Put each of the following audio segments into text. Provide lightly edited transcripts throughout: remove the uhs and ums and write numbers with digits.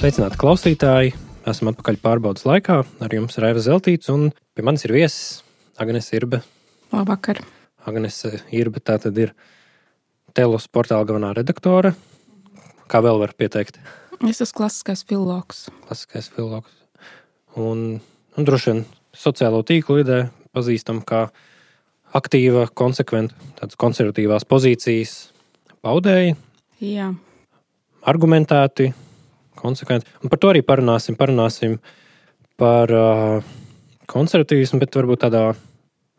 Sveicināti klausītāji! Esam atpakaļ pārbaudas laikā. Ar jums ir Aiva Zeltīts un pie manis ir viesis Agnese Irbe. Labvakar! Agnese Irbe tā tad ir Telos portāla galvenā redaktore. Kā vēl var pieteikt? Es esmu klasiskais filologs. Klasiskais filologs. Un droši vien sociālo tīklu vidē pazīstam kā aktīva, konsekventa, tādas konservatīvās pozīcijas paudēji. Jā. Argumentēti, konsekventi. Un par to arī parunāsim par konservatīvismu, bet varbūt tādā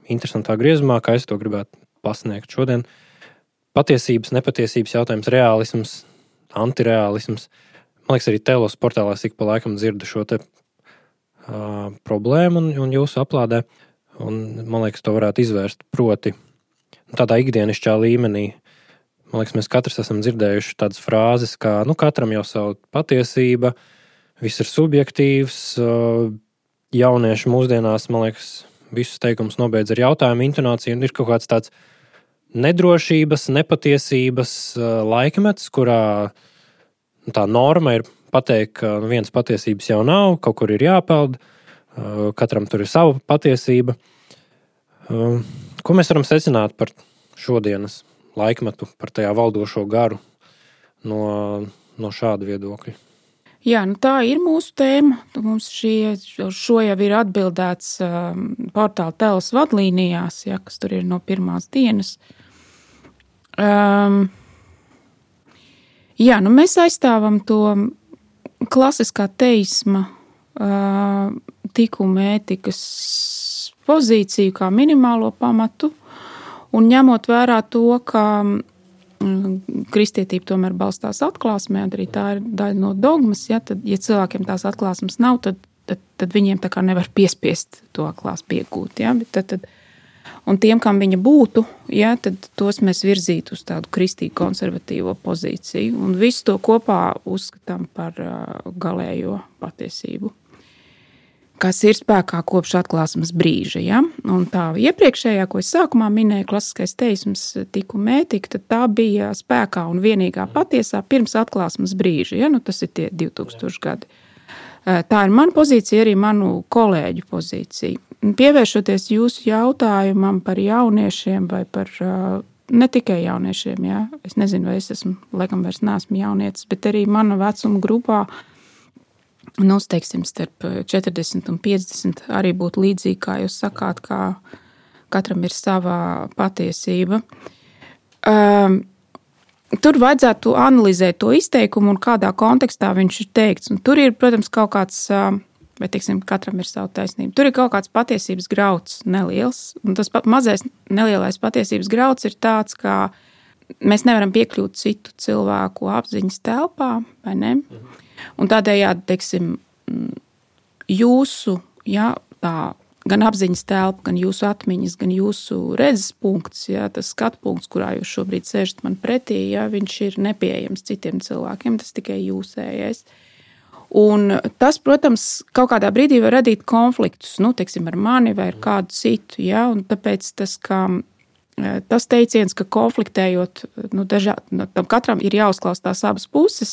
interesantā griezumā, kā es to gribētu pasniegt šodien. Patiesības, nepatiesības jautājums, reālisms, antireālisms. Man liekas, arī Telos portālā ik pa laikam dzirdu šo te problēmu un jūsu aplādē. Un man liekas, to varētu izvērst proti tādā ikdienišķā līmenī. Man liekas, mēs katrs esam dzirdējuši tādas frāzes, kā katram jau savu patiesība, viss ir subjektīvs. Jaunieši mūsdienās, man liekas, visus teikumus nobeidz ar jautājumu intonāciju, un ir kaut kāds tāds nedrošības, nepatiesības laikmets, kurā tā norma ir pateikt, ka vienas patiesības jau nav, kaut kur ir jāpeld, katram tur ir sava patiesība. Ko mēs varam secināt par šodienas laikmetu, par tajā valdošo garu no šāda viedokļa? Jā, tā ir mūsu tēma. Mums šo jau ir atbildēts portāla Telos vadlīnijās, kas tur ir no pirmās dienas. Mēs aizstāvam to klasiskā teisma tikuma ētikas pozīciju kā minimālo pamatu. Un ņemot vērā to, ka kristietība tomēr balstās atklāsmē, arī tā ir daļa no dogmas, tad, ja cilvēkiem tās atklāsmes nav, tad viņiem tā kā nevar piespiest to atklāsmi iegūt. Un tiem, kam viņa būtu, tad tos mēs virzītu uz tādu kristīgu konservatīvo pozīciju. Un visu to kopā uzskatām par galējo patiesību, kas ir spēkā kopš atklāsmes brīža. Un tā iepriekšējā, ko es sākumā minēju, klasiskais teisms, tikuma ētika, tad tā bija spēkā un vienīgā patiesā pirms atklāsmes brīža. Tas ir tie 2000 gadi. Tā ir mana pozīcija, arī manu kolēģu pozīcija. Pievēršoties jūsu jautājumam par jauniešiem vai par ne tikai jauniešiem, es nezinu, vai es esmu, laikam vairs neesmu jaunietis, bet arī mana vecuma grupā, teiksim, starp 40 un 50 arī būtu līdzīgi, kā jūs sakāt, kā katram ir savā patiesība. Tur vajadzētu analizēt to izteikumu un kādā kontekstā viņš ir teikts. Un tur ir, protams, kaut kāds, vai teiksim, katram ir savu taisnību. Tur ir kaut kāds patiesības grauds neliels. Un tas mazais nelielais patiesības grauds ir tāds, kā mēs nevaram piekļūt citu cilvēku apziņas telpā, vai ne? Un tādējādi, teiksim, jūsu, tā gan apziņas telpa, gan jūsu atmiņas, gan jūsu redzes punkts, tas skatu punkts, kurā jūs šobrīd sēžat man pretī, viņš ir nepieejams citiem cilvēkiem, tas tikai jūsējais. Un tas, protams, kaut kādā brīdī var radīt konfliktus, teiksim, ar mani vai ar kādu citu, un tāpēc tas teiciens, ka konfliktējot, tam katram ir jāuzklaus tās abas puses,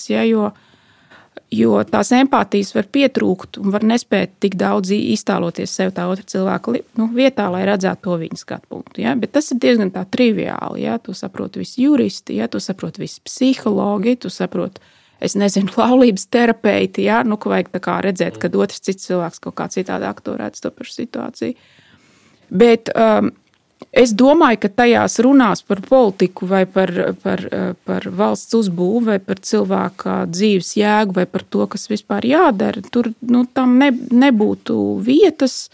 jo tās empātijas var pietrūkt un var nespēt tik daudz iztēloties sev tā otra cilvēka vietā, lai redzētu to viņa skatu punktu. Bet tas ir diezgan tā triviāli. To saprot visi juristi, to saprot visi psihologi, to saprot, es nezinu, laulības terapeiti, ka vajag tā kā redzēt, kad otrs cits cilvēks kaut kā citādāk to redz to pašu situāciju. Bet es domāju, ka tajās runās par politiku vai par valsts uzbūvu vai par cilvēka dzīves jēgu vai par to, kas vispār jādara, tur tam nebūtu vietas.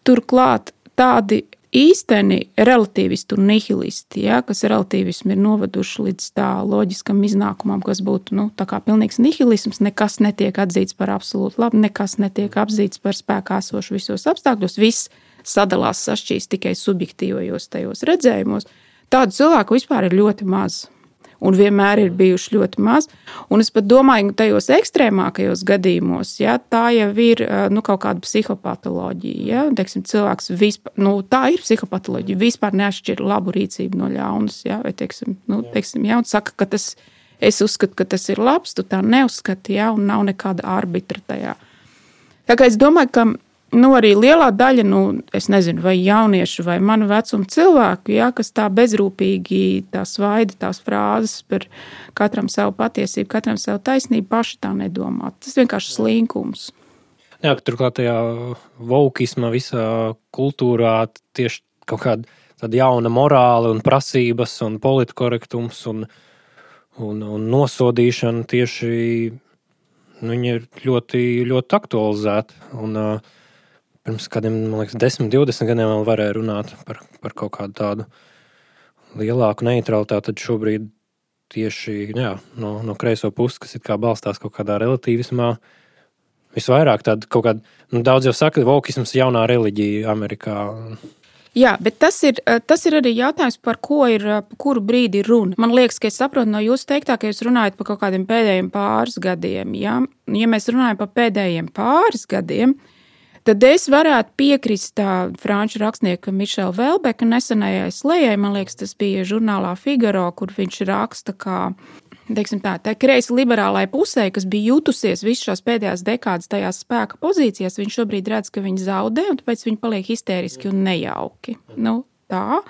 Turklāt tādi īsteni relativisti un nihilisti, kas relativismu ir novaduši līdz tā loģiskam iznākumam, kas būtu tā kā pilnīgs nihilisms, nekas netiek atzīts par absolūti labu, nekas netiek atzīts par spēkā esošu visos apstākļos, viss sadalās sašķīst tikai subjektīvajos tajos redzējumos. Tādu cilvēku vispār ir ļoti maz. Un vienmēr ir bijuši ļoti maz. Un es pat domāju, ka tajos ekstrēmākajos gadījumos, tā jau ir kaut kāda psihopatoloģija. Teiksim, cilvēks vispār, tā ir psihopatoloģija, vispār neatšķir labu rīcību no ļaunas. Vai teiksim, un saka, ka tas es uzskatu, ka tas ir labs, tu tā neuzskati, ja, un nav nekāda arbitra tajā. Tā kā es domāju, ka arī lielā daļa, es nezinu, vai jauniešu, vai manu vecumu cilvēku, ja, kas tā bezrūpīgi tā svaida tās frāzes par katram savu patiesību, katram savu taisnību, paši tā nedomā. Tas vienkārši slinkums. Jā, turklāt tajā vokisma visā kultūrā tieši kaut kāda tāda jauna morāla un prasības un politkorektums un nosodīšana tieši viņi ir ļoti, ļoti aktualizēti. Un pirms kādiem, man liekas, 10-20 gadiem vēl varēja runāt par kaut kādu tādu lielāku neutralitāti, tad šobrīd tieši no kreiso puses, kas it kā balstās kaut kādā relativismā, visvairāk tāda kaut kāda, daudz jau saka, vokisms jaunā reliģija Amerikā. Jā, bet tas ir arī jautājums, par kuru brīdi ir runa. Man liekas, ka es saprotu no jūsu teiktā, ka jūs runājat par kaut kādiem pēdējiem pāris gadiem. Ja mēs runājam par pēdējiem pāris gadiem, tad es varētu piekrist franču rakstnieka Mišela Velbeka nesenajai slejai. Man liekas, tas bija žurnālā Figaro, kur viņš raksta, kā teiksim tā kreisi liberālai pusē, kas bija jutusies visu šās pēdējās dekādas tajās spēka pozīcijās, viņš šobrīd redz, ka viņi zaudē, un tāpēc viņi paliek histēriski un nejauki. Tā.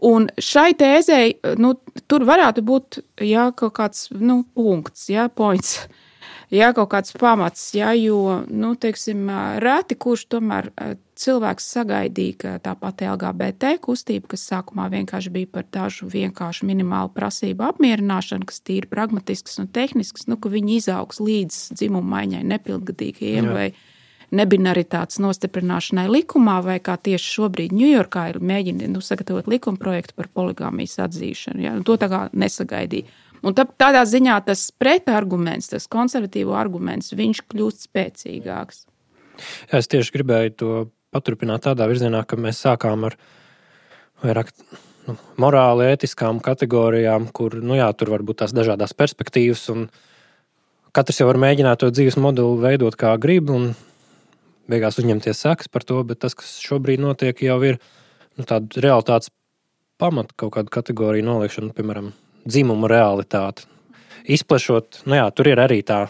Un šai tēzei, tur varētu būt, kaut kāds, punkts, points, kaut kāds pamats, jo, teiksim, reti, kurš tomēr cilvēks sagaidīja, ka tā pati LGBT kustība, kas sākumā vienkārši bija par dažu vienkāršu minimālu prasību apmierināšanu, kas tīri pragmatisks un tehnisks, ka viņi izaugs līdz dzimumu maiņai nepilngadīgajiem vai nebinaritātes nostiprināšanai likumā, vai kā tieši šobrīd Ņujorkā ir mēģina sagatavot likumprojektu par poligāmijas atzīšanu. Ja? To tā kā nesagaidīja. Un tādā ziņā tas pretarguments, tas konservatīvo arguments, viņš kļūst spēcīgāks. Jā, es tieši gribēju to paturpināt tādā virzienā, ka mēs sākām ar vairāk morāli ētiskām kategorijām, kur, tur var būt tās dažādās perspektīvas, un katrs jau var mēģināt to dzīves modeli veidot kā grib, un beigās uzņemties sekas par to, bet tas, kas šobrīd notiek, jau ir tāda realitātes pamata kaut kādu kategoriju noliekšana, piemēram, dzimumu realitāti. Izplešot, tur ir arī tā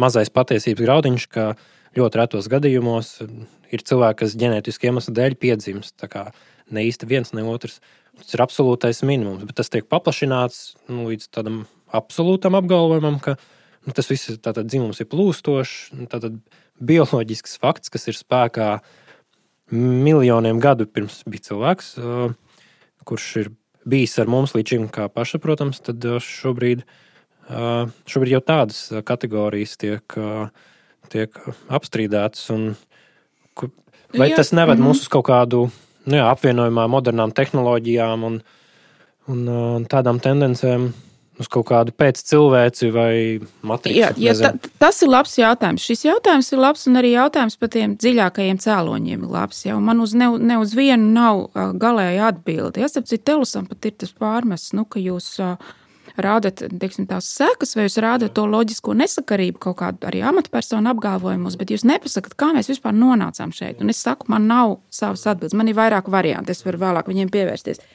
mazais patiesības graudiņš, ka ļoti retos gadījumos ir cilvēki, kas ģenētiski iemeslu dēļ piedzimst. Tā kā ne īsti viens, ne otrs. Tas ir absolūtais minimums, bet tas tiek paplašināts līdz tādam absolūtam apgalvojumam, ka tas viss tātad dzimums ir plūstošs, tātad bioloģisks fakts, kas ir spēkā miljoniem gadu pirms bija cilvēks, kurš ir bijis ar mums līdz šim kā pašsaprotams, tad šobrīd jau tādas kategorijas tiek apstrīdētas. Vai tas neved mūs uz kaut kādu apvienojumā modernām tehnoloģijām un tādām tendencēm uz kaut kādu pēccilvēci vai matricu? Tas ir labs jautājums. Šis jautājums ir labs, un arī jautājums par tiem dziļākajiem cēloņiem ir labs. Ja? Man ne uz vienu nav galēja atbildi. Ja? Sapcīt, Telusam pat ir tas pārmests, ka jūs rādat, teiksim, tās sekas, vai jūs rādat to loģisko nesakarību kaut kādu arī amatpersonu apgalvojumus, bet jūs nepasakat, kā mēs vispār nonācām šeit. Un es saku, man nav savas atbildes, man ir vairāk varianti, es varu vēlāk viņiem pievērsties.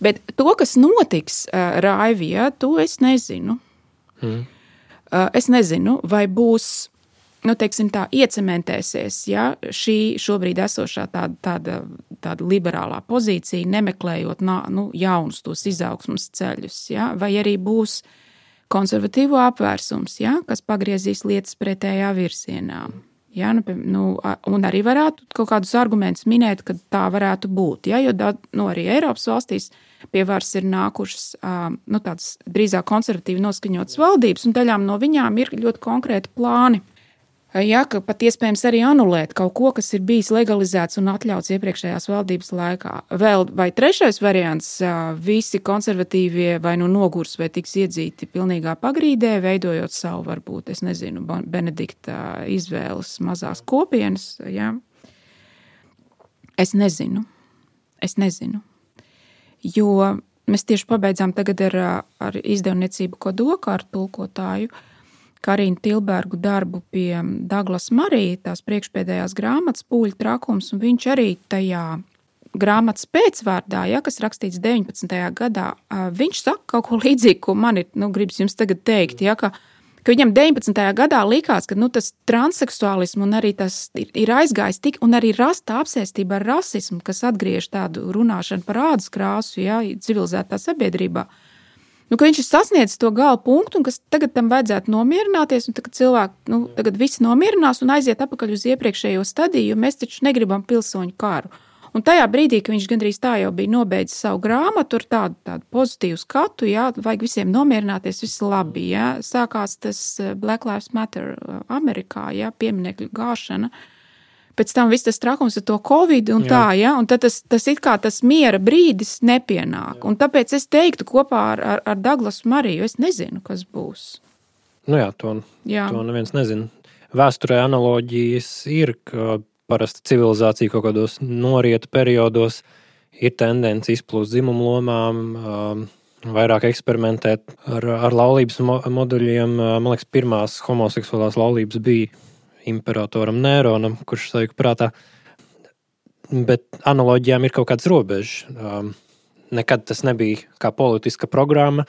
Bet to, kas notiks Raivijā, to es nezinu. Es nezinu, vai būs, teiksim tā, iecementēsies, ja šī šobrīd esošā tāda liberālā pozīcija, nemeklējot jaunus tos izaugsmas ceļus, ja, vai arī būs konservatīvo apvērsums, ja, kas pagriezīs lietas pretējā virzienā. Ja, un arī varētu kaut kādus argumentus minēt, ka tā varētu būt. Ja, jo arī Eiropas valstīs pie varas ir nākušas tādas drīzāk konservatīvi noskaņotas valdības, un daļām no viņām ir ļoti konkrēti plāni. Ja, ka pat iespējams arī anulēt kaut ko, kas ir bijis legalizēts un atļauts iepriekšējās valdības laikā. Vēl vai trešais variants, visi konservatīvie vai nogurs vai tiks iedzīti pilnīgā pagrīdē, veidojot savu, varbūt, es nezinu, Benedikta izvēles mazās kopienas. Ja. Es nezinu. Jo mēs tieši pabeidzām tagad ar izdevniecību Kodoka, ar tulkotāju Karinu Tilbergu darbu pie Douglas Murray, tās priekšpēdējās grāmatas Pūļu trakums, un viņš arī tajā grāmatas pēcvārdā, ja, kas rakstīts 19. gadā, viņš saka kaut ko līdzīgu, ko man ir, gribas jums tagad teikt, ja, ka viņam 19. gadā likās, ka tas transseksuālismu un arī tas ir aizgājis tik, un arī rasta apsēstība ar rasismu, kas atgriež tādu runāšanu par ādas krāsu, ja, civilizētā sabiedrībā. Ka viņš ir sasniedzis to gala punktu, un kas tagad tam vajadzētu nomierināties, un tagad cilvēki, tagad visi nomierinās un aiziet atpakaļ uz iepriekšējo stadiju, jo mēs taču negribam pilsoņu karu. Un tajā brīdī, kad viņš gandrīz tā jau bija nobeidzis savu grāmatu ar tādu pozitīvu skatu, jā, vajag visiem nomierināties, viss labi, jā. Sākās tas Black Lives Matter Amerikā, jā, pieminekļu gāšana. Pēc tam viss tas trakums ar to Covid un tā, ja, un tad tas it kā tas miera brīdis nepienāk. Un tāpēc es teiktu kopā ar Daglasu Mariju, es nezinu, kas būs. To neviens nezina. Vēsturē analoģijas ir, ka parasti civilizācija kaut kādos norieta periodos ir tendence izplūst dzimumu lomām, vairāk eksperimentēt ar laulības moduļiem. Man liekas, pirmās homoseksuālās laulības bija imperatoram Nēronam, kurš sajūta prātā. Bet analoģijām ir kaut kāds robežs. Nekad tas nebija kā politiska programma,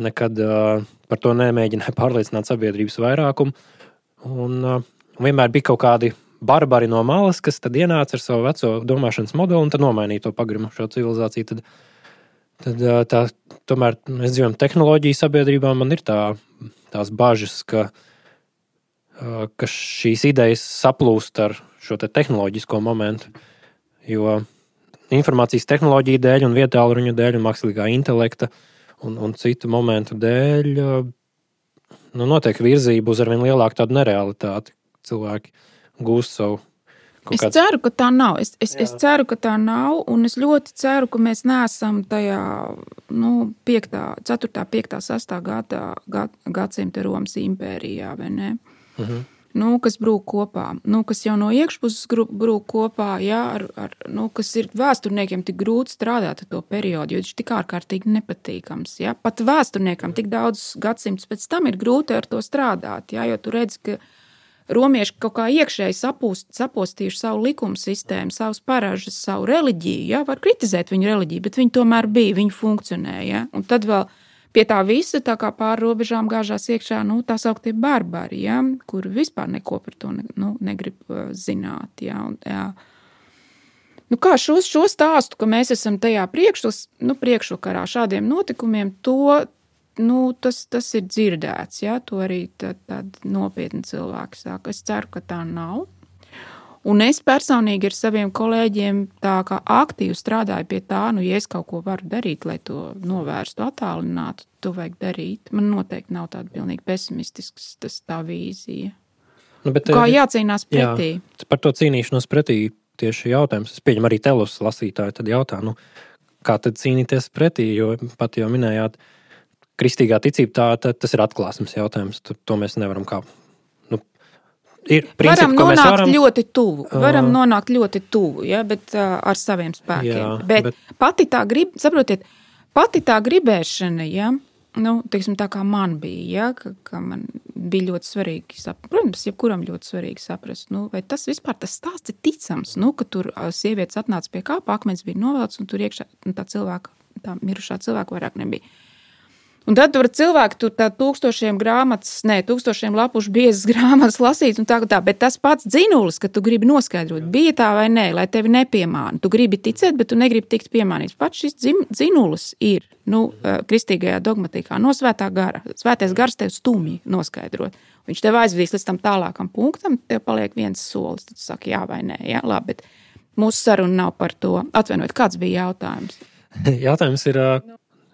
nekad par to nemēģināja pārliecināt sabiedrības vairākumu. Un vienmēr bija kaut kādi barbari no malas, kas tad ienāca ar savu veco domāšanas modeli un tad nomainīja to pagrimušo civilizāciju. Tad tomēr mēs dzīvojam tehnoloģiju sabiedrībā, man ir tās bažas, ka šīs idejas saplūst ar šo te tehnoloģisko momentu, jo informācijas tehnoloģija dēļ un vietāluruņu dēļ un mākslīgā intelekta un citu momentu dēļ notiek virzība uz arvien lielāku tādu nerealitāti. Cilvēki gūst savu kaut kādu. Es ceru, ka tā nav. Es ceru, ka tā nav, un es ļoti ceru, ka mēs neesam tajā 4., 5., 6. gadsimta Romas impērijā, vai ne? Kas brūk kopā, kas jau no iekšpuses brūk kopā, jā, kas ir vēsturniekiem tik grūti strādāt ar to periodu, jo viņš tik ārkārtīgi nepatīkams. Jā. Pat vēsturniekam tik daudz gadsimtus pēc tam ir grūti ar to strādāt, jā, jo tu redzi, ka romieši kaut kā iekšēji sapostījuši savu likumu sistēmu, savus paražas, savu reliģiju, jā, var kritizēt viņu reliģiju, bet viņi tomēr bija, viņi funkcionēja, jā, un tad vēl pie tā visa, tā kā pāri robežām gāžās iekšā, tā sauktie barbari, ja, kur vispār neko par to negrib zināt. Ja, kā šo stāstu, ka mēs esam tajā priekšvakarā šādiem notikumiem, tas ir dzirdēts. Ja, to arī tādi nopietni cilvēki saka. Es ceru, ka tā nav. Un es personīgi ar saviem kolēģiem tā kā aktīvi strādāju pie tā, ja es kaut ko varu darīt, lai to novērstu, attālinātu, to vajag darīt. Man noteikti nav tāda pilnīgi pesimistisks tā vīzija. Kā jācīnās pretī? Jā, par to cīnīšanos pretī tieši jautājums. Es pieņemu arī telus lasītāju, tad jautā, kā tad cīnīties pretī, jo pat jau minējāt, kristīgā ticība, tas ir atklāsmes jautājums, to mēs nevaram kā. Varam nonākt ļoti tuvu, ja, bet ar saviem spēkiem. Jā, bet pati tā gribēšana, ja, teiksim, tā kā man bija, ja, ka man bija ļoti svarīgi saprast, protams, jebkuram ļoti svarīgi saprast, vai tas vispār tas stāsts ir ticams, ka tur sievietes atnāca pie kāpa, akmens bija novelts, un tur iekšā tā mirušā cilvēka vairāk nebija. Un tad tur cilvēki tur tā tūkstošiem lapušu biezas grāmatas lasīt un tā, bet tas pats dzinulis, ka tu gribi noskaidrot, bija tā vai nē, lai tevi nepiemāna. Tu gribi ticēt, bet tu negribi tikt piemānīts. Pats šis dzinulis ir, kristīgajā dogmatikā, no svētā gara. Svētais gars tev stumji noskaidrot. Viņš tev aizvedīs līdz tam tālākam punktam, tev paliek viens solis, tad tu saki jā vai nē, jā, labi, bet mūsu saruna nav par to. Atvainojiet, kāds bija jautājums? Jautājums ir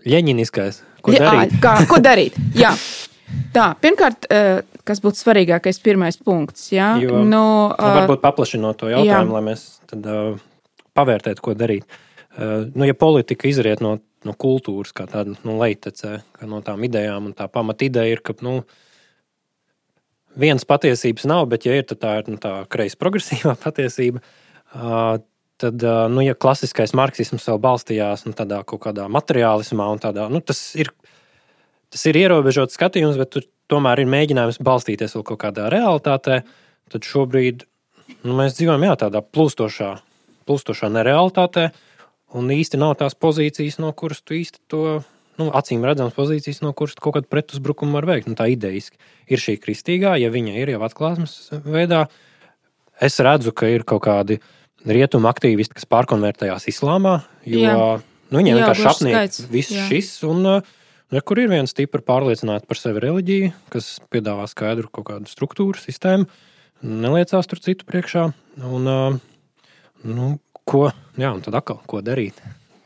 ļeņiniskais. Ko darīt? Ko darīt? Jā. Tā, pirmkārt, kas būtu svarīgākais pirmais punkts, jā? Varbūt paplašinot to jautājumu, lai mēs tad pavērtētu, ko darīt. Ja politika izriet no kultūras, kā tāda leitecē, kā no tām idejām, un tā pamat ideja ir, ka, vienas patiesības nav, bet ja ir, tad tā ir tā kreis progresīvā patiesība, tad, ja klasiskais marksisms vēl balstījās tādā kaut kādā materiālismā un tādā, tas ir ierobežots skatījums, bet tur tomēr ir mēģinājums balstīties vēl kaut kādā realitātē, tad šobrīd mēs dzīvojam tādā plūstošā nerealitātē, un īsti nav tās pozīcijas, no kuras tu īsti to, acīm redzams pozīcijas, no kuras kaut kādu pretuzbrukumu var veikt. Tā ideiski ir šī kristīgā, ja viņa ir jau atklāsmes veidā. Es redzu, ka ir kaut kādi rietumu aktīvisti, kas pārkonvertējās islāmā, jo viņiem vienkārši apniek viss šis, un kur ir viena stipra pārliecināta par sevi reliģija, kas piedāvā skaidru kaut kādu struktūru, sistēmu, neliecās tur citu priekšā, un tad atkal, ko darīt?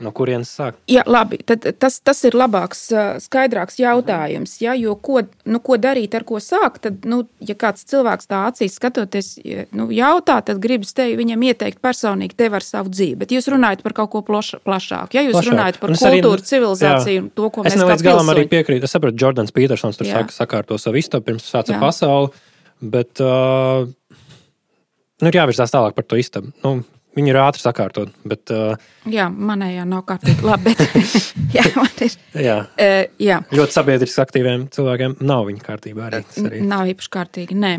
No kurienes sāk? Jā, labi, tad tas ir labāks, skaidrāks jautājums, jo ko darīt, ar ko sākt, tad, ja kāds cilvēks tā acīs skatoties, jautā, tad gribas tevi viņam ieteikt personīgi tev ar savu dzīvi, bet jūs runājat par kaut ko plašāku, ja jūs runājat par kultūru, civilizāciju un to, ko mēs kā pilsoņi. Es nelīdz galam arī piekrītu, es sapratu, Jordans Petersons tur sakārto savu istabu, pirms sāca pasauli, bet ir jāvirzās tālāk par to istabu. Viņi ir ātri sakārtot, bet... Jā, manējā nav kārtīgi labi, bet... man ir... Jā. Ļoti sabiedriski aktīviem cilvēkiem nav viņa kārtībā arī. Nav īpaši kārtīgi, nē.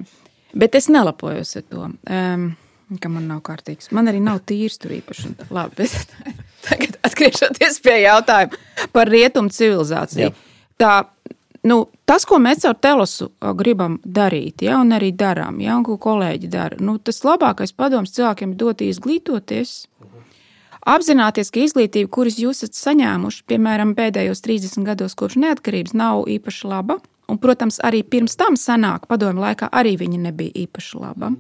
Bet es nelapojos ar to, ka man nav kārtīgs. Man arī nav tīrs tur īpaši. Labi, bet tagad atgriežoties pie jautājuma par rietumu civilizāciju. Jā. Tas, ko mēs ar Telosu gribam darīt, un arī darām, un ko kolēģi dara, tas labākais padoms cilvēkiem ir dot izglītoties, apzināties, ka izglītība, kuras jūs esat saņēmuši, piemēram, pēdējos 30 gados kopš neatkarības, nav īpaši laba, un, protams, arī pirms tam senāk padomu laikā arī viņa nebija īpaši laba.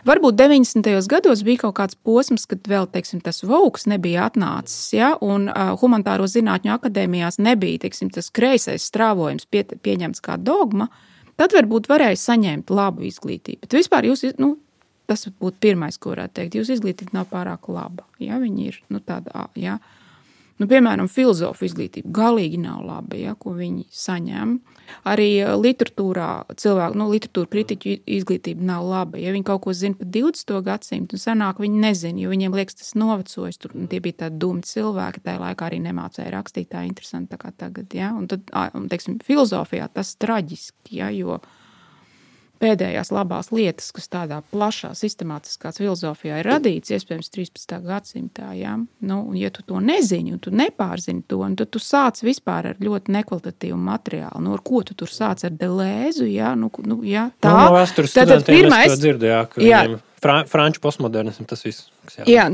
Varbūt 90. gados bija kaut kāds posms, kad vēl, tas vauks nebija atnācis, un humanitāro zinātņu akadēmijās nebija, tas kreisais strāvojums pieņemts kā dogma, tad varbūt varēja saņemt labu izglītību. Bet vispār tas būtu pirmais, ko varētu teikt, jūsu izglītība nav pārāk laba, viņi ir, tāda, piemēram, filozofu izglītība galīgi nav laba, ko viņi saņem. Arī literatūrā literatūra kritiķu izglītība nav laba. Ja viņi kaut ko zina par 20. gadsimtu, un senāk viņi nezina, jo viņiem liekas, tas novecojis. Tur tie bija tādi dumi cilvēki, tajā laikā arī nemācēja rakstīt tā interesanti tā kā tagad. Un tad, filozofijā tas traģiski, jo pēdējās labās lietas, kas tādā plašā, sistemātiskā filozofijā ir radīts, iespējams, 13. gadsimtā, un ja tu to nezini, un tu nepārzini to, un tad tu sāc vispār ar ļoti nekvalitatīvu materiālu, ar ko tu tur sāc ar Delēzu, tā. No vēstures studentiem es to dzirdu, ka viņiem franču postmodernismu tas viss.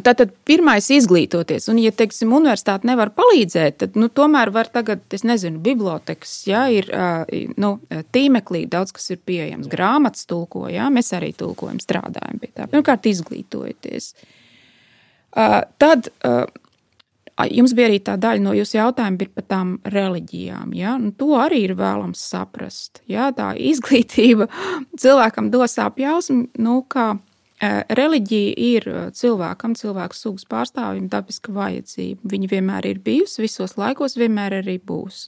Tātad pirmais izglītoties, un ja, universitāte nevar palīdzēt, tad, tomēr var tagad, bibliotekas, ir, tīmeklī daudz, kas ir pieejams, grāmatas tulko, mēs arī tulkojam, strādājam pie tā. Pirmkārt, izglītojoties. Tad jums bija arī tā daļa no jūsu jautājuma ir par tām reliģijām, to arī ir vēlams saprast, tā izglītība cilvēkam dos apjausmu, kā reliģija ir cilvēku sugas pārstāvjiem dabiska vajadzība. Viņa vienmēr ir bijusi, visos laikos vienmēr arī būs.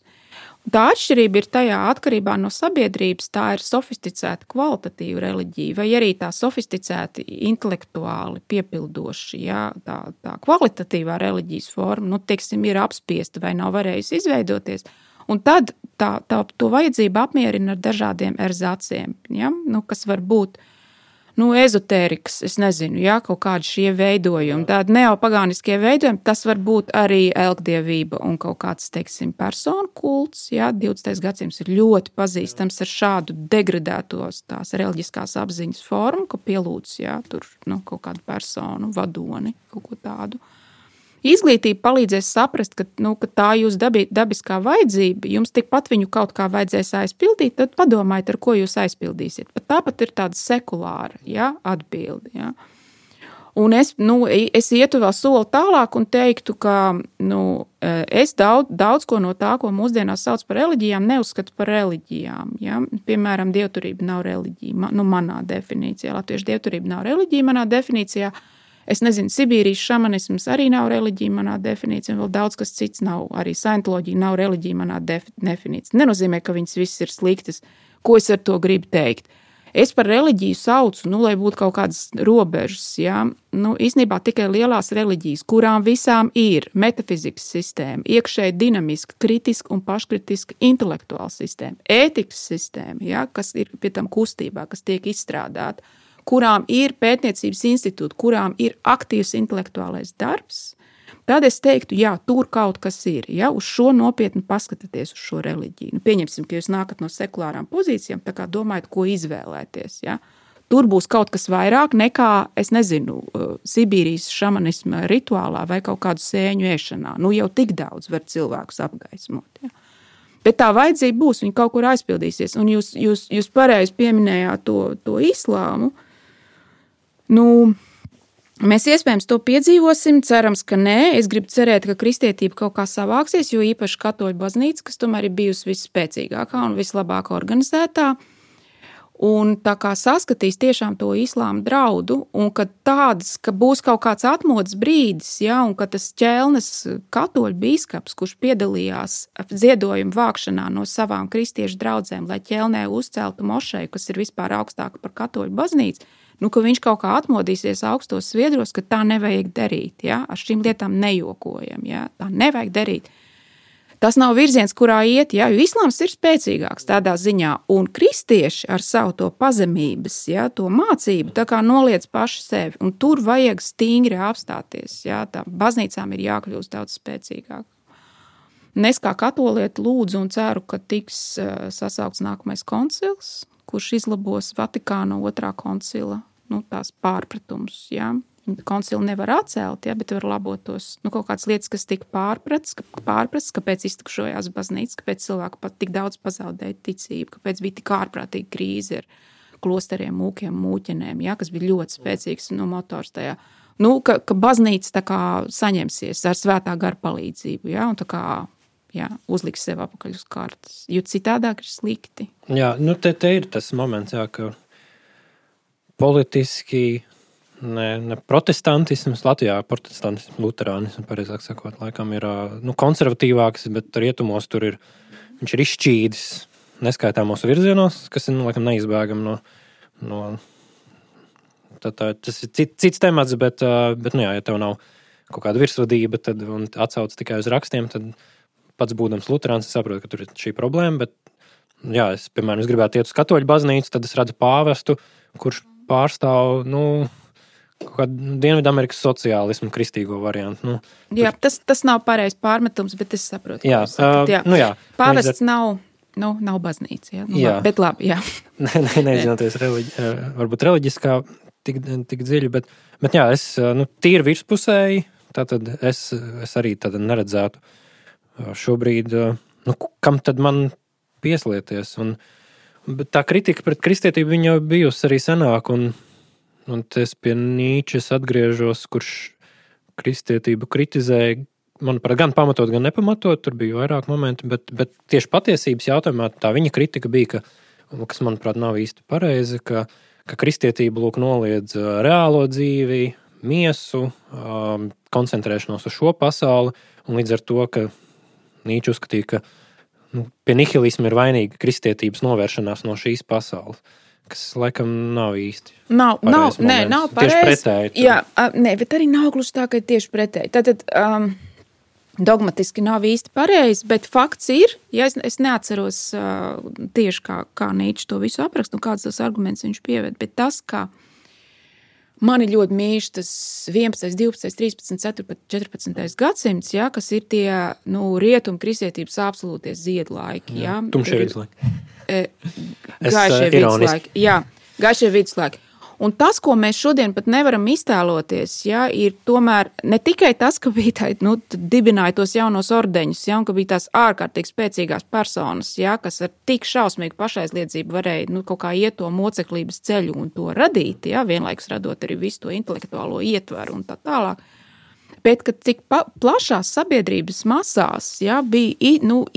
Tā atšķirība ir tajā atkarībā no sabiedrības, tā ir sofisticēta kvalitatīva reliģija, vai arī tā sofisticēti intelektuāli piepildoši, tā kvalitatīvā reliģijas forma, ir apspiesta vai nav varējusi izveidoties. Un tad to vajadzību apmierina ar dažādiem erzāciem, kas var būt ezotērikas, es nezinu, kaut kādi šie veidojumi, tādi neopagāniskie veidojumi, tas var būt arī elgdievība un kaut kāds, personu kults, 20. gadsimts ir ļoti pazīstams ar šādu degradētos tās reliģiskās apziņas formu, ka pielūdz, tur, kaut kādu personu, vadoni, kaut ko tādu. Izglītība palīdzēs saprast, ka tā jūs dabiskā vajadzība, jums tikpat viņu kaut kā vajadzēs aizpildīt, tad padomājiet, ar ko jūs aizpildīsiet. Pat tāpat ir tāda sekulāra, atbildi, Un es ietu vēl soli tālāk un teiktu, ka, es daudz ko no tā, ko mūsdienās sauc par reliģijām, neuzskatu par reliģijām, Piemēram, dievturība nav reliģija, manā definīcijā. Latviešu dievturība nav reliģija manā definīcijā. Es nezinu, Sibīrijas šamanisms arī nav reliģija manā definīcijā, un vēl daudz kas cits nav, arī saintoloģija nav reliģija manā definīcijā. Nenozīmē, ka viņas viss ir sliktas. Ko es ar to gribu teikt? Es par reliģiju saucu, lai būtu kaut kādas robežas, īstenībā tikai lielās reliģijas, kurām visām ir metafizikas sistēma, iekšēji dinamiska, kritiska un paškritiska intelektuāla sistēma, ētikas sistēma, kas ir pie tam kustībā, kas tiek izstrādāta, kurām ir pētniecības institūti, kurām ir aktīvs intelektuālais darbs, tad es teiktu, jā, tur kaut kas ir. Ja? Uz šo nopietni paskatieties uz šo reliģiju. Nu, pieņemsim, ka jūs nākat no sekulārām pozīcijām, tā kā domājat, ko izvēlēties. Ja? Tur būs kaut kas vairāk nekā, es nezinu, Sibīrijas šamanisma rituālā vai kaut kādu sēņu ēšanā. Nu, jau tik daudz var cilvēkus apgaismot. Ja? Bet tā vajadzība būs, viņa kaut kur aizpildīsies. Un jūs pareizi pieminējāt to islāmu. Nu, mēs iespējams to piedzīvosim, cerams, ka nē. Es gribu cerēt, ka kristietība kaut kā savāksies, jo īpaši katoļu baznīca, kas tomēr ir bijusi visspēcīgākā un vislabāk organizētā. Un tā kā saskatīs tiešām to islāma draudu, un ka būs kaut kāds atmodas brīdis, ja, un ka tas ķelnes katoļu bīskaps, kurš piedalījās ziedojumu vākšanā no savām kristiešu draudzēm, lai ķelnē uzceltu mošeju, kas ir vispār augstāka par katoļu baznīcu, nu, ka viņš kaut kā atmodīsies augstos sviedros, ka tā nevajag darīt, ja, ar šīm lietām nejokojam, ja, tā nevajag darīt. Tas nav virziens, kurā iet, ja, jo islāms ir spēcīgāks tādā ziņā, un kristieši ar savu to pazemības, ja, to mācību, tā kā noliec paši sevi, un tur vajag stingri apstāties, ja, tā baznīcām ir jākļūst daudz spēcīgāk. Un es kā katolieti lūdzu un ceru, ka tiks sasaukts nākamais koncils, kurš izlabos Vatikāna 2. koncila, tās pārpratums, ja. Koncili nevar atcelt, ja, bet var labot tos kaut kādas lietas, kas tika pārprasts, kāpēc iztukšojās baznīca, kāpēc cilvēku pat tik daudz pazaudēja ticību, kāpēc bija tik ārprātīga krīze ar klosteriem, mūkiem, mūķenēm, ja, kas bija ļoti spēcīgs motors tajā. Ka baznīca tā kā saņemsies ar svētā gara palīdzību, ja, un tā kā uzliks sev apakaļ uz kartas, jo citādāk ir slikti. Jā, te ir tas moments, jā, ka politiski ne protestantisms, Latvijā protestantisms, luterānisms, pareizāk sakot, laikam ir konservatīvāks, bet rietumos tur viņš ir izšķīdis neskaitāmos virzienos, kas ir, laikam, neizbēgam no tas ir cits temats, bet ja tev nav kaut kāda virsvadība un atsauc tikai uz rakstiem, tad pats būdams luterāns, es saprotu, ka tur ir šī problēma, bet, jā, es gribētu iet uz katoļu baznīcu, tad es redzu pāvestu, kurš pārstāv, kaut kādu Dienvidamerikas sociālismu kristīgo variantu. Jā, tas nav pareizs pārmetums, bet es saprotu. Jā, jā. Pāvests nav baznīca, jā. Bet labi, jā. Neizinoties varbūt reliģiskā tik dziļi, bet jā, es tīri virspusēji, tātad es arī neredzētu šobrīd, kam tad man pieslieties. Bet tā kritika pret kristietību viņa jau bijusi arī senāk, un es pie Nīčes atgriežos, kurš kristietību kritizēja, manuprāt, gan pamatot, gan nepamatot, tur bija vairāk momenti, bet tieši patiesības jautājumā tā viņa kritika bija, kas, manuprāt, nav īsti pareizi, ka kristietība noliedz reālo dzīvi, miesu, koncentrēšanos uz šo pasauli, un līdz ar to, ka Nīča uzskatīja, ka pie nihilisma ir vainīga kristietības novēršanās no šīs pasaules. Kas laikam nav īsti. Nav pareizi. Tieši pretēji. Jā, bet arī nav gluži tā, ka ir tieši pretēji. Tātad dogmatiski nav īsti pareizi, bet fakts ir, ja es neatceros tieši kā Nīčs to visu aprakst, kāds tos argumentus viņš pieved, bet tas, kā mani ļoti mīļš tas 11, 12, 13, 14 gadsimts, ja, kas ir tie rietumu kristietības absolūtie ziedlaiki. Ja. Tumšie viduslaiki. Gaišie viduslaiki. Jā, gaišie viduslaiki. Un tas, ko mēs šodien pat nevaram iztēloties, ja, ir tomēr ne tikai tas, ka bija tā, dibināja tos jaunos ordeņus, ja, un ka bija tās ārkārtīgi spēcīgās personas, ja, kas ar tik šausmīgu pašaizliedzību varēja kaut kā iet to moceklības ceļu un to radīt, ja, vienlaikus radot arī visu to intelektuālo ietvaru un tā tālāk. Bet, kad cik plašās sabiedrības masās, ja, bija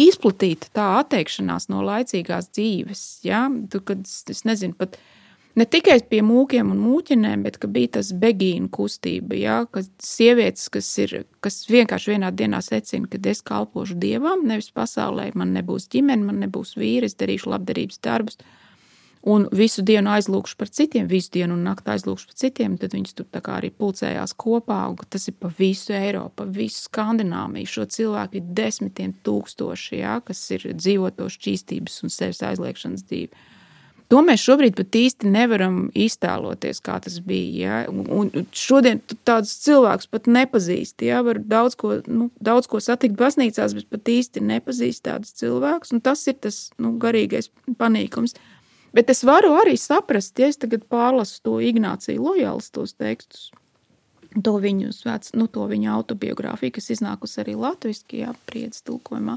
izplatīta tā atteikšanās no laicīgās dzīves, ja, kad es nezinu pat, ne tikai pie mūkiem un mūķenēm, bet ka bija tas begīnu kustība, ja, ka sievietes, kas vienkārši vienā dienā secina, ka es kalpošu Dievam, nevis pasaulē, man nebūs ģimene, man nebūs vīri, es darīšu labdarības darbus, un visu dienu aizlūkšu par citiem, visu dienu un nakti aizlūkšu par citiem, tad viņas tur tā kā arī pulcējās kopā, un tas ir pa visu Eiropu, pa visu Skandināviju, šo cilvēku ir 10 000, ja, kas ir dzīvoto šķīstības un sevis aizliekšanas dzīvi. To mēs šobrīd pat īsti nevaram iztēloties, kā tas bija. Ja? Un šodien tādus cilvēkus pat nepazīst. Ja? Var daudz ko satikt baznīcās, bet pat īsti nepazīst tādus cilvēkus. Un tas ir tas garīgais panīkums. Bet es varu arī saprast, ja es tagad pārlasu to Ignāciju Lojāls tos tekstus, to viņu autobiogrāfiju, kas iznākusi arī latviski, Priedz tulkojumā.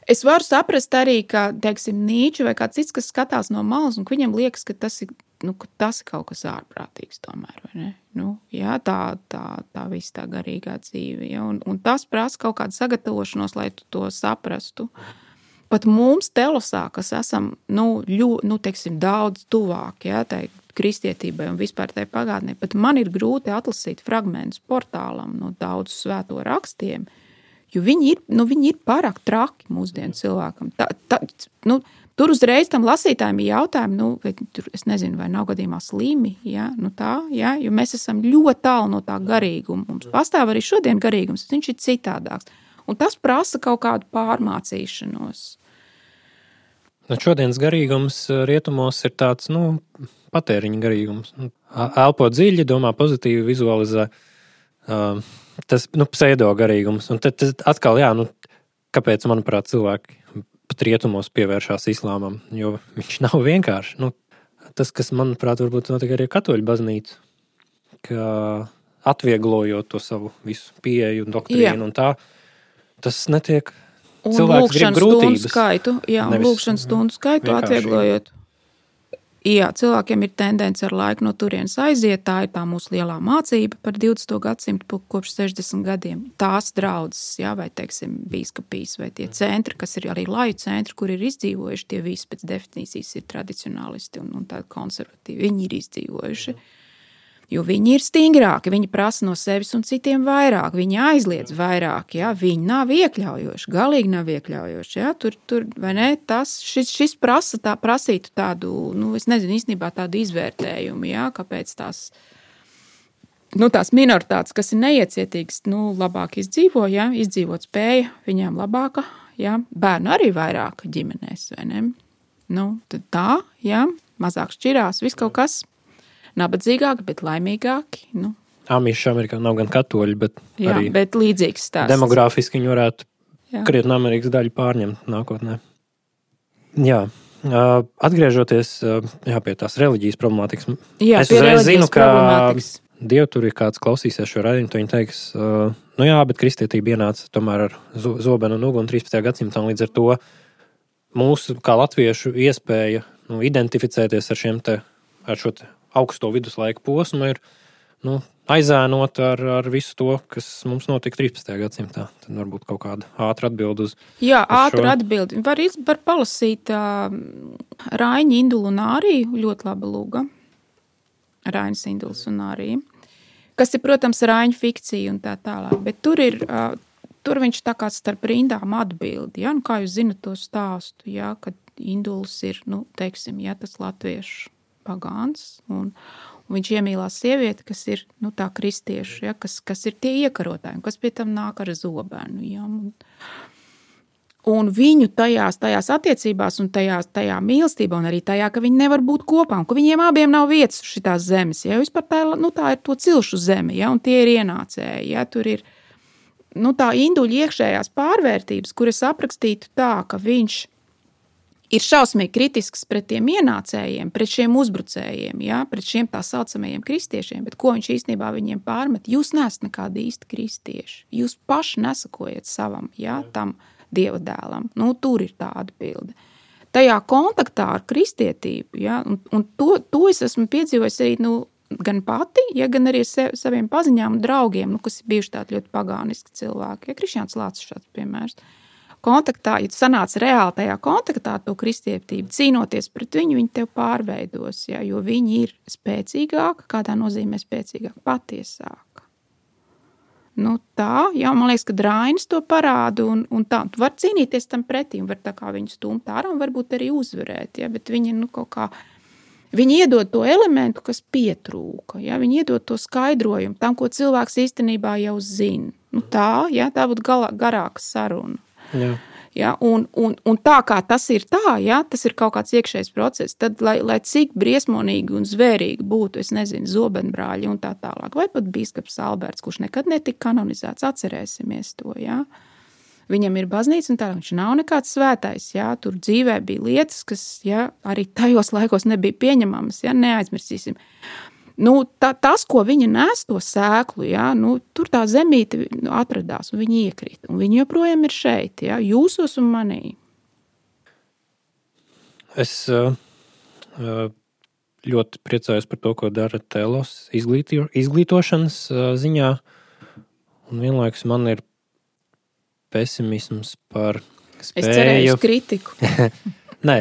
Es varu saprast arī, ka, teiksim, Nīča vai kāds cits, kas skatās no malas, un viņam liekas, ka tas ir kaut kas ārprātīgs tomēr, vai ne? Tā viss tā garīgā dzīve, ja? Un tas prasa kaut kādu sagatavošanos, lai tu to saprastu. Pat mums Telosā, kas esam, teiksim, daudz tuvāk, ja, tai kristietībai un vispār tai pagātnē, pat man ir grūti atlasīt fragmentus portālam no daudz svēto rakstiem, jo viņi ir pārāk traki mūsdienu cilvēkam. Tur uzreiz tam lasītājiem ir jautājumi, es nezinu, vai nav gadījumā slimi, jo mēs esam ļoti tālu no tā garīguma. Mums pastāv arī šodien garīgums, viņš ir citādāks. Un tas prasa kaut kādu pārmācīšanos. Šodienas garīgums rietumos ir tāds, patēriņa garīgums. Elpo dziļi, domā pozitīvi, vizualizē. Tas pseido garīgums. Un tad atkal, kāpēc, manuprāt, cilvēki pat rietumos pievēršās islāmam, jo viņš nav vienkārši. Tas, kas, manuprāt, varbūt notiek arī katoļu baznīcu, ka atvieglojot to savu visu pieeju un doktrīnu un tā, tas netiek. Cilvēks grib grūtības. Lūkšanas stundu skaitu atvieglojot. Jā, cilvēkiem ir tendence ar laiku no turienes aiziet, tā ir tā mūsu lielā mācība par 20. gadsimtu kopš 60 gadiem. Tās draudzes, vai, teiksim, bīskapijas vai tie centri, kas ir arī laju centri, kur ir izdzīvojuši, tie visi pēc definīcijas ir tradicionālisti un tādi konservatīvi. Viņi ir izdzīvojuši. Jo viņi ir stingrāki, viņi prasa no sevis un citiem vairāk, viņi aizliedz vairāk, viņi nav iekļaujoši, galīgi nav iekļaujoši, tur vai ne, šis prasītu tādu, es nezinu, īstenībā tādu izvērtējumu, kāpēc tās minoritātes, kas ir neiecietīgas, labāk izdzīvo, izdzīvot spēja, viņām labāka, bērnu arī vairāk ģimenēs, vai ne, tad tā, mazāk šķirās, viss kaut kas. Nabadzīgāki, bet laimīgāki. Amiši Amerikā nav gan katoļi, bet arī bet līdzīgs stāsts. Demogrāfiski viņi varētu krietni Amerikas daļu pārņemt nākotnē. Jā, atgriežoties pie tās reliģijas problemātikas. Es uzreiz zinu, ka Dievu tur ir kāds klausīsies šo raidījumu, to viņi teiks, bet kristietība ienāca tomēr ar zobenu un uguni 13. gadsimtā, un līdz ar to mūsu, kā latviešu, iespēja identificēties ar šo augsto viduslaiku posmu ir aizēnot ar visu to, kas mums notika 13. gadsimtā. Tad varbūt kaut kāda ātra atbildi uz ātra atbildi. Var palasīt Raiņa Indulu un Āriju, ļoti laba lūga. Raiņas Induls un Ārija. Kas ir, protams, Raiņa fikcija un tā tālāk. Bet tur viņš tā kā starp rindām atbildi. Kā jūs zinat to stāstu, kad Induls ir, teiksim, tas latviešu pagāns, un viņš iemīlās sievieti, kas ir tā kristieši, kas ir tie iekarotāji, kas pie tam nāk ar zobenu. Un viņu tajās attiecībās un tajā mīlestībā un arī tajā, ka viņi nevar būt kopā, un ka viņiem abiem nav vietas uz šitās zemes. Vispār tā ir to cilšu zeme, un tie ir ienācēji. Tur ir tā Induļa iekšējās pārvērtības, kuras aprakstītu tā, ka viņš ir šausmīgi kritisks pret tiem ienācējiem, pret šiem uzbrucējiem, pret šiem tā saucamajiem kristiešiem, bet ko viņš īstenībā viņiem pārmet? Jūs neesat nekādi īsti kristieši. Jūs paši nesakojat savam, tam Dieva dēlam. Tur ir tā atbilde. Tajā kontaktā ar kristietību, un to es esmu piedzīvojis arī, gan pati, gan arī saviem paziņām un draugiem, kas ir bijuši tādi ļoti pagāniski cilvēki. Krišjāns Lācis šāds piemērs. Kontaktā, ja tu sanāc reāli tajā kontaktā ar to kristietību, cīnoties pret viņu, viņi tev pārveidos, jo viņi ir spēcīgāki, kādā nozīmē spēcīgāki, patiesāki. Man liekas, ka Rainis to parāda, un tā, tu var cīnīties tam pretī, un var tā kā viņu stumt ārā, un varbūt arī uzvarēt, bet viņi, kaut kā, viņi iedod to elementu, kas pietrūka, viņi iedod to skaidrojumu tam, ko cilvēks īstenībā jau zina. Tā būtu garāka saruna. Ja, un tā kā tas ir tā, ja, tas ir kaut kāds iekšējs process, tad, lai cik briesmonīgi un zvērīgi būtu, es nezinu, zobenbrāļi un tā tālāk, vai pat bīskaps Alberts, kurš nekad netika kanonizēts, atcerēsimies to, ja. Viņam ir baznīca un tā, viņš nav nekāds svētais, ja, tur dzīvē bija lietas, kas, ja, arī tajos laikos nebija pieņemamas, ja, neaizmirsīsim. Tas, ko viņa nes to sēklu, ja, tur tā zemīte atradās un viņa iekrita. Un viņa joprojām ir šeit, ja, jūsos un manī. Es ļoti priecājos par to, ko dara Telos izglītošanas ziņā. Un vienlaikus man ir pesimisms par spēju. Es cerēju uz kritiku. Nē,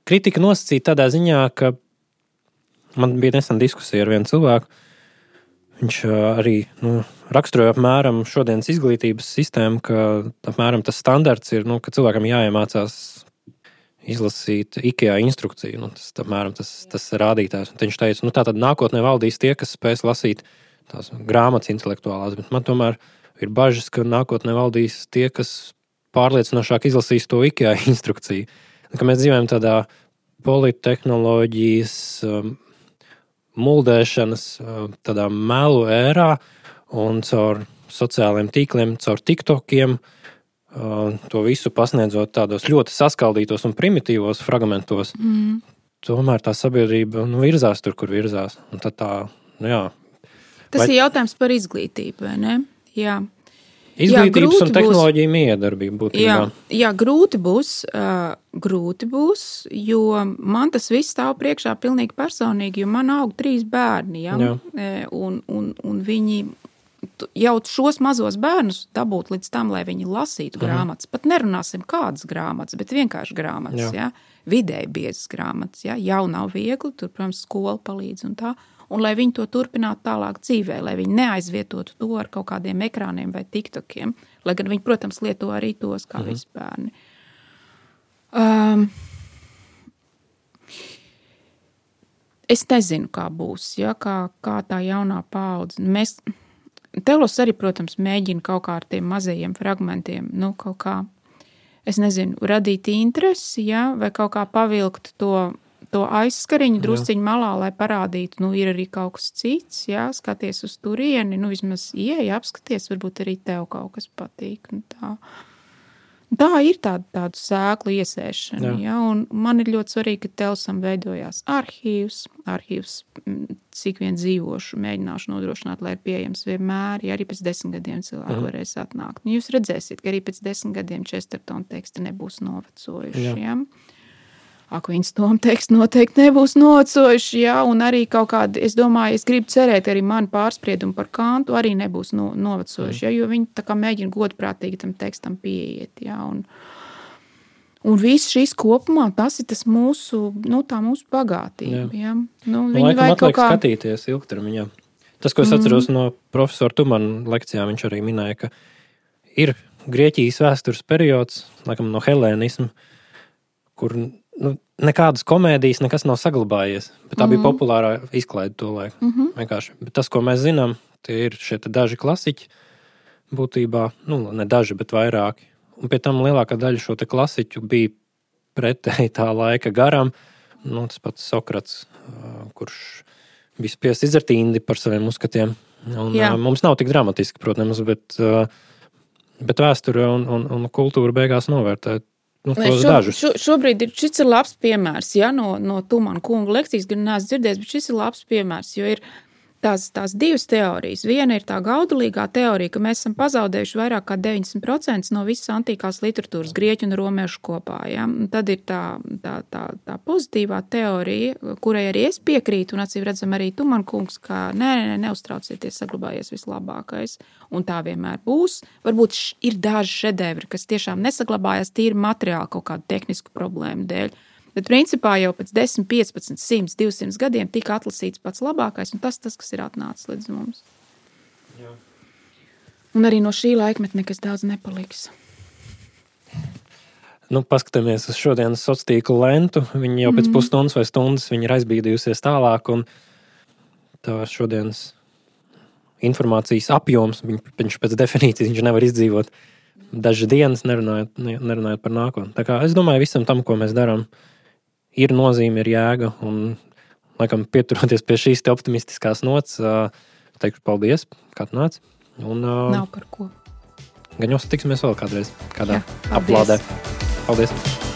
kritika nosacīta tādā ziņā, ka man bija nesen diskusija ar vienu cilvēku. Viņš arī raksturoja apmēram šodienas izglītības sistēmu, ka apmēram tas standarts ir, ka cilvēkam jāiemācās izlasīt IKEA instrukciju. Tas rādītājs. Un viņš teica, tātad nākotnē valdīs tie, kas spēs lasīt tās grāmatas intelektuālās, bet man tomēr ir bažas, ka nākotnē valdīs tie, kas pārliecinošāk izlasīs to IKEA instrukciju. Ka mēs dzīvojam tādā polittehnoloģijas muldēšanas, tādā melu ērā un caur sociālajiem tīkliem, caur TikTokiem, to visu pasniedzot tādos ļoti saskaldītos un primitīvos fragmentos. Tomēr tā sabiedrība virzās tur, kur virzās. Un tad Tas ir jautājums par izglītību, vai ne? Jā. Izglītības un tehnoloģiju miedarbība būtībā. Jā, grūti būs, jo man tas viss stāv priekšā pilnīgi personīgi, jo man aug 3 bērni, ja? Un viņi jau šos mazos bērnus dabūt līdz tam, lai viņi lasītu grāmatas. Pat nerunāsim kādas grāmatas, bet vienkārši grāmatas, ja? Vidēji biezas grāmatas, ja? Jau nav viegli, tur, protams, skola palīdz un tā. Un lai viņi to turpinātu tālāk dzīvē, lai viņi neaizvietotu to ar kaut kādiem ekrāniem vai tiktokiem, lai gan viņi, protams, lieto arī tos kā visi bērni. Es nezinu, kā būs, ja, kā tā jaunā paudze. Telos arī, protams, mēģina kaut kā ar tiem mazajiem fragmentiem, kaut kā, es nezinu, radīt interesi, ja, vai kaut kā pavilkt to aizskariņu drusciņu malā, lai parādītu, ir arī kaut kas cits, jā, skaties uz turieni, vismaz ieeja, apskaties, varbūt arī tev kaut kas patīk. Tā ir tādu sēklu iesēšana, jā, un man ir ļoti svarīgi, ka Telsam veidojās arhīvs, cik vien dzīvošu, mēģināšu nodrošināt, lai ir pieejams vienmēr, ja arī pēc 10 gadiem cilvēku varēs atnākt. Jūs redzēsiet, ka arī pēc 10 gadiem Chestertona teksti nebūs novecojuši, jā. Akvīns Toma teksti noteikti nebūs novecojuši, jā, un arī kaut kādi, es domāju, es gribu cerēt, arī mani pārspriedumi par Kantu arī nebūs novecojuši, jā, jo viņi tā kā mēģina godprātīgi tam tekstam pieiet, jā, un viss šis kopumā, tas ir tas mūsu, tā mūsu bagātība, jā. Laikam atliek skatīties ilgtermiņā. Tas, ko es atceros no profesora Tumana lekcijām, viņš arī minēja, ka ir Grieķijas vēstures periods, laikam no helēnisma, kur nekādas komēdijas nekas nav saglabājies, bet tā bija populārā izklaide to laiku. Vienkārši. Bet tas, ko mēs zinām, tie ir šie daži klasiķi būtībā, ne daži, bet vairāki. Un pie tam lielākā daļa šo te klasiķu bija pretēji tā laika garam. Tas pats Sokrats, kurš bija spiests izdzert indi par saviem uzskatiem. Un, mums nav tik dramatiski, protams, bet vēsture un kultūra beigās novērtē Šobrīd šis ir labs piemērs, ja, no Tumana kunga lekcijas, gan neesmu dzirdējis, bet šis ir labs piemērs, jo ir tās 2 teorijas. Viena ir tā gaudulīgā teorija, ka mēs esam pazaudējuši vairāk kā 90% no visas antīkās literatūras, grieķu un romiešu kopā. Ja? Un tad ir tā pozitīvā teorija, kurai arī es piekrītu, un acīm redzam arī Tumana kungs, ka neuztraucieties, saglabājies vislabākais. Un tā vienmēr būs. Varbūt ir daži šedevri, kas tiešām nesaglabājās tīri materiāli kaut kādu tehnisku problēmu dēļ. Bet principā jau pēc 10, 15, 100, 200 gadiem tika atlasīts pats labākais, un tas, kas ir atnācis līdz mums. Jā. Un arī no šī laikmeta nekas daudz nepaliks. Paskatāmies uz šodienas sociālo tīklu lentu. Viņi jau pēc pusstundas vai stundas viņi ir aizbīdījusies tālāk, un tā šodienas informācijas apjoms, viņš pēc definīcijas viņš nevar izdzīvot dažas dienas nerunājot par nākotni. Tā kā es domāju, visam tam, ko mēs darām, ir nozīme, ir jēga, un laikam pieturoties pie šīs te optimistiskās nots, teikšu paldies, kā tu nāc. Un, Nav par ko. Gan jau satiksimies vēl kādreiz, kādā Jā, paldies. aplādē. Paldies!